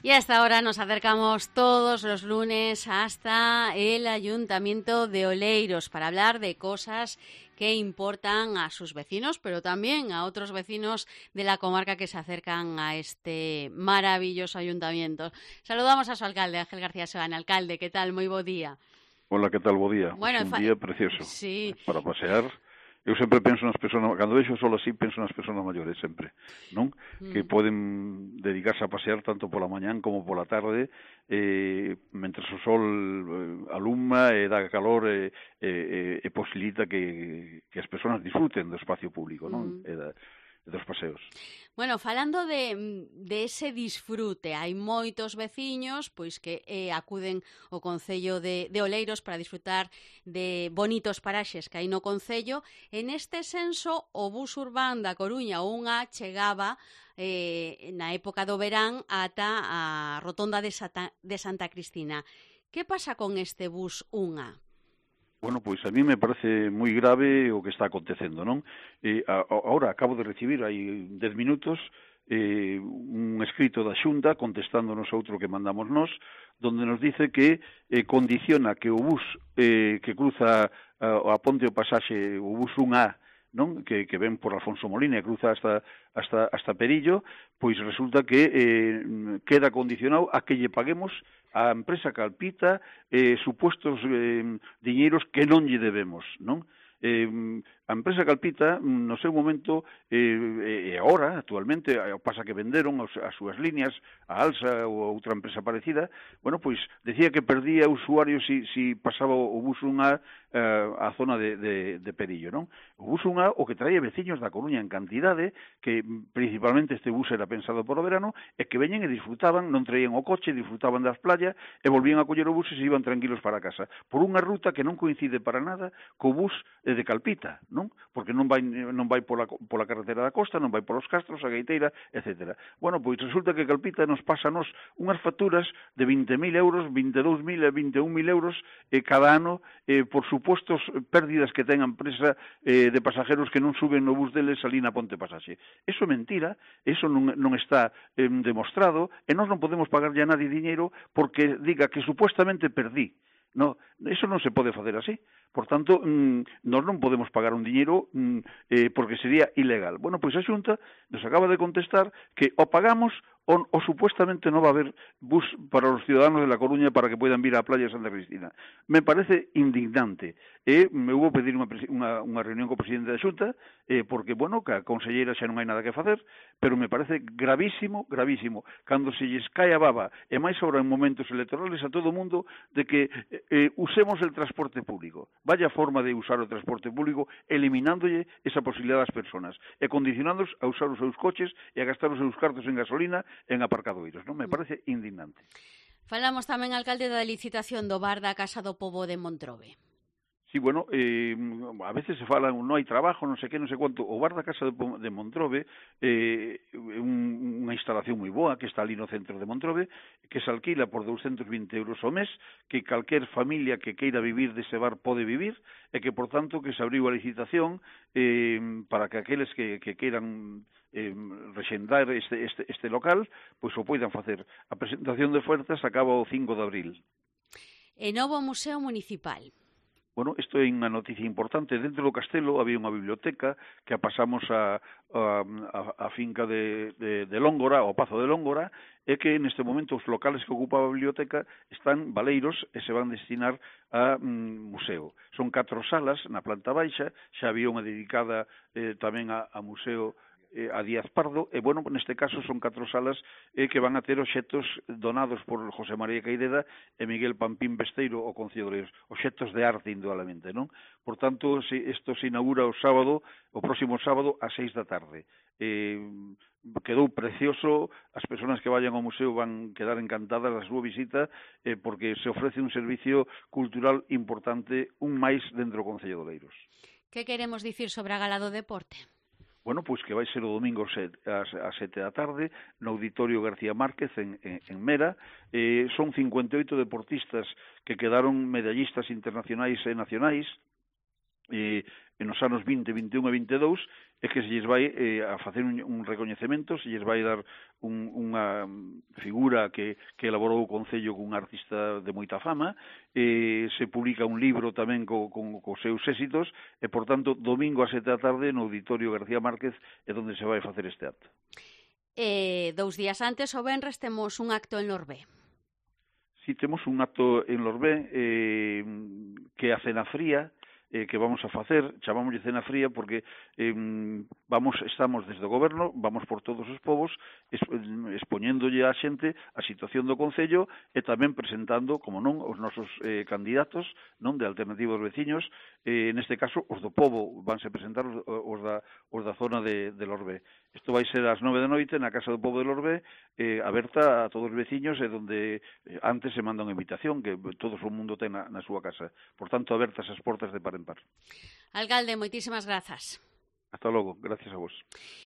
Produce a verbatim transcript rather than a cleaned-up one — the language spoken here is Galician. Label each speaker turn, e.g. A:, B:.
A: Y hasta ahora nos acercamos todos los lunes hasta el Ayuntamiento de Oleiros para hablar de cosas que importan a sus vecinos, pero también a otros vecinos de la comarca que se acercan a este maravilloso ayuntamiento. Saludamos a su alcalde, Ángel García Sebane. Alcalde, ¿qué tal? Muy bo día.
B: Hola, que tal, bo día?
A: Bueno,
B: Pues un
A: fa...
B: día precioso
A: sí.
B: para pasear. Eu sempre penso nas persoas, cando vexo o sol así, penso nas persoas maiores sempre, non? Mm. Que poden dedicarse a pasear tanto pola mañán como pola tarde, eh, mentre o sol eh, aluma e dá calor e, e, e posibilita que, que as persoas disfruten do espacio público, non? Mm. E da, dos paseos.
A: Bueno, falando de, de ese disfrute, hai moitos veciños pois que eh, acuden ao Concello de, de Oleiros para disfrutar de bonitos paraxes que hai no Concello. En este senso, o bus urbán da Coruña unha chegaba eh, na época do verán ata a rotonda de, Sata, de Santa Cristina. Que pasa con este bus unha?
B: Bueno, pois a mí me parece moi grave o que está acontecendo, non? Eh, a, ahora acabo de recibir hai dez minutos eh, un escrito da Xunta contestándonos outro que mandamos nós, donde nos dice que eh, condiciona que o bus eh, que cruza a, a ponte o pasaxe, o bus un A, non? Que, que ven por Alfonso Molina e cruza hasta, hasta, hasta Perillo, pois resulta que eh, queda condicionado a que lle paguemos a empresa Calpita eh, supuestos eh, diñeiros que non lle debemos, non? Eh, a empresa Calpita, no seu momento, eh, e agora, actualmente, pasa que venderon as súas líneas, a Alsa ou outra empresa parecida, bueno, pois, decía que perdía usuarios si, si pasaba o bus un A a zona de, de, de Perillo, non? O bus un A, o que traía veciños da Coruña en cantidade, que principalmente este bus era pensado por o verano, e que veñen e disfrutaban, non traían o coche, disfrutaban das playas, e volvían a coller o bus e se iban tranquilos para casa, por unha ruta que non coincide para nada co bus de Calpita, non? Porque non vai non vai pola pola carretera da costa, non vai polos Castros, a Gaiteira, etcétera. Bueno, pois resulta que Calpita nos pasa a nos unhas facturas de vinte mil euros, vinte e dous mil e vinte e un mil euros eh, cada ano eh, por supostos pérdidas que ten a empresa eh, de pasajeros que non suben no bus deles ali na Ponte Pasaxe. Eso é mentira, eso non, non está eh, demostrado, e nós non podemos pagarlle a nadie diñeiro porque diga que supuestamente perdí. No, eso non se pode facer así. Por tanto, mmm, nós non podemos pagar un diñeiro mmm, eh, porque sería ilegal. Bueno, pois a Xunta nos acaba de contestar que o pagamos o, o supuestamente non va a haber bus para os ciudadanos de La Coruña para que poidan vir á playa de Santa Cristina. Me parece indignante. E me hubo pedir unha, unha, unha reunión co presidente da Xunta eh, porque, bueno, que a conselleira xa non hai nada que facer, pero me parece gravísimo, gravísimo, cando se lles cae a baba, e máis ahora en momentos electorales a todo o mundo, de que eh, usemos el transporte público. Vaya forma de usar o transporte público, eliminándolle esa posibilidad das personas e condicionándoos a usar os seus coches e a gastar os seus cartos en gasolina en aparcadoiros, non? Me parece indignante.
A: Falamos tamén, alcalde, da licitación do bar da Casa do Pobo de Montrobe.
B: Sí, bueno, eh, a veces se fala, non hai trabajo, non sei que, non sei quanto. O bar da Casa de Montrobe é eh, un, unha instalación moi boa que está ali no centro de Montrobe, que se alquila por douscentos vinte euros ao mes, que calquer familia que queira vivir dese bar pode vivir, e que, por tanto, que se abriu a licitación eh, para que aqueles que, que queiran eh, rexendar este, este, este local, pois o poidan facer. A presentación de ofertas acaba o cinco de abril.
A: E novo Museo Municipal.
B: Bueno, isto é unha noticia importante. Dentro do castelo había unha biblioteca que a pasamos a, a, a finca de, de, de Lóngora, ao Pazo de Lóngora, e que neste momento os locales que ocupaba a biblioteca están baleiros e se van destinar a mm, museo. Son catro salas na planta baixa, xa había unha dedicada eh, tamén a, a museo eh, a Díaz Pardo, e, bueno, neste caso son catro salas eh, que van a ter obxectos donados por José María Caideda e Miguel Pampín Besteiro ao Concello de Oleiros, obxectos de arte, indudablemente, non? Por tanto, isto se inaugura o sábado, o próximo sábado, a seis da tarde. Eh, quedou precioso, as persoas que vayan ao museo van quedar encantadas da súa visita, eh, porque se ofrece un servicio cultural importante, un máis dentro do Concello de Oleiros.
A: Que queremos dicir sobre a Gala do Deporte?
B: Bueno, pois que vai ser o domingo ás sete da tarde no Auditorio García Márquez en, en, en Mera. Eh, son cincuenta e oito deportistas que quedaron medallistas internacionais e nacionais. Eh, nos anos vinte, vinte e un e vinte e dous, é que se lles vai eh, a facer un, un recoñecemento, se lles vai dar un, unha figura que, que elaborou o Concello cun artista de moita fama, eh, se publica un libro tamén co, co, co seus éxitos, e, por tanto, domingo a sete da tarde no Auditorio García Márquez é onde se vai facer este acto.
A: E dous días antes, o venres, temos un acto en Lorbé.
B: Si, temos un acto en Lorbé eh, que é a cena fría, eh, que vamos a facer, chamámoslle cena fría porque eh, vamos, estamos desde o goberno, vamos por todos os povos expoñéndolle á xente a situación do Concello e tamén presentando, como non, os nosos eh, candidatos non de Alternativa aos Veciños, eh, neste caso os do povo, vanse presentar os, os, da, os da zona de, de Lorbé. Isto vai ser ás nove da noite na Casa do Pobo de Lorbé, eh, aberta a todos os veciños e donde eh, antes se manda unha invitación que todo o mundo ten na, na súa casa. Por tanto, abertas as portas de par en par.
A: Alcalde, moitísimas grazas.
B: Hasta logo, gracias a vos.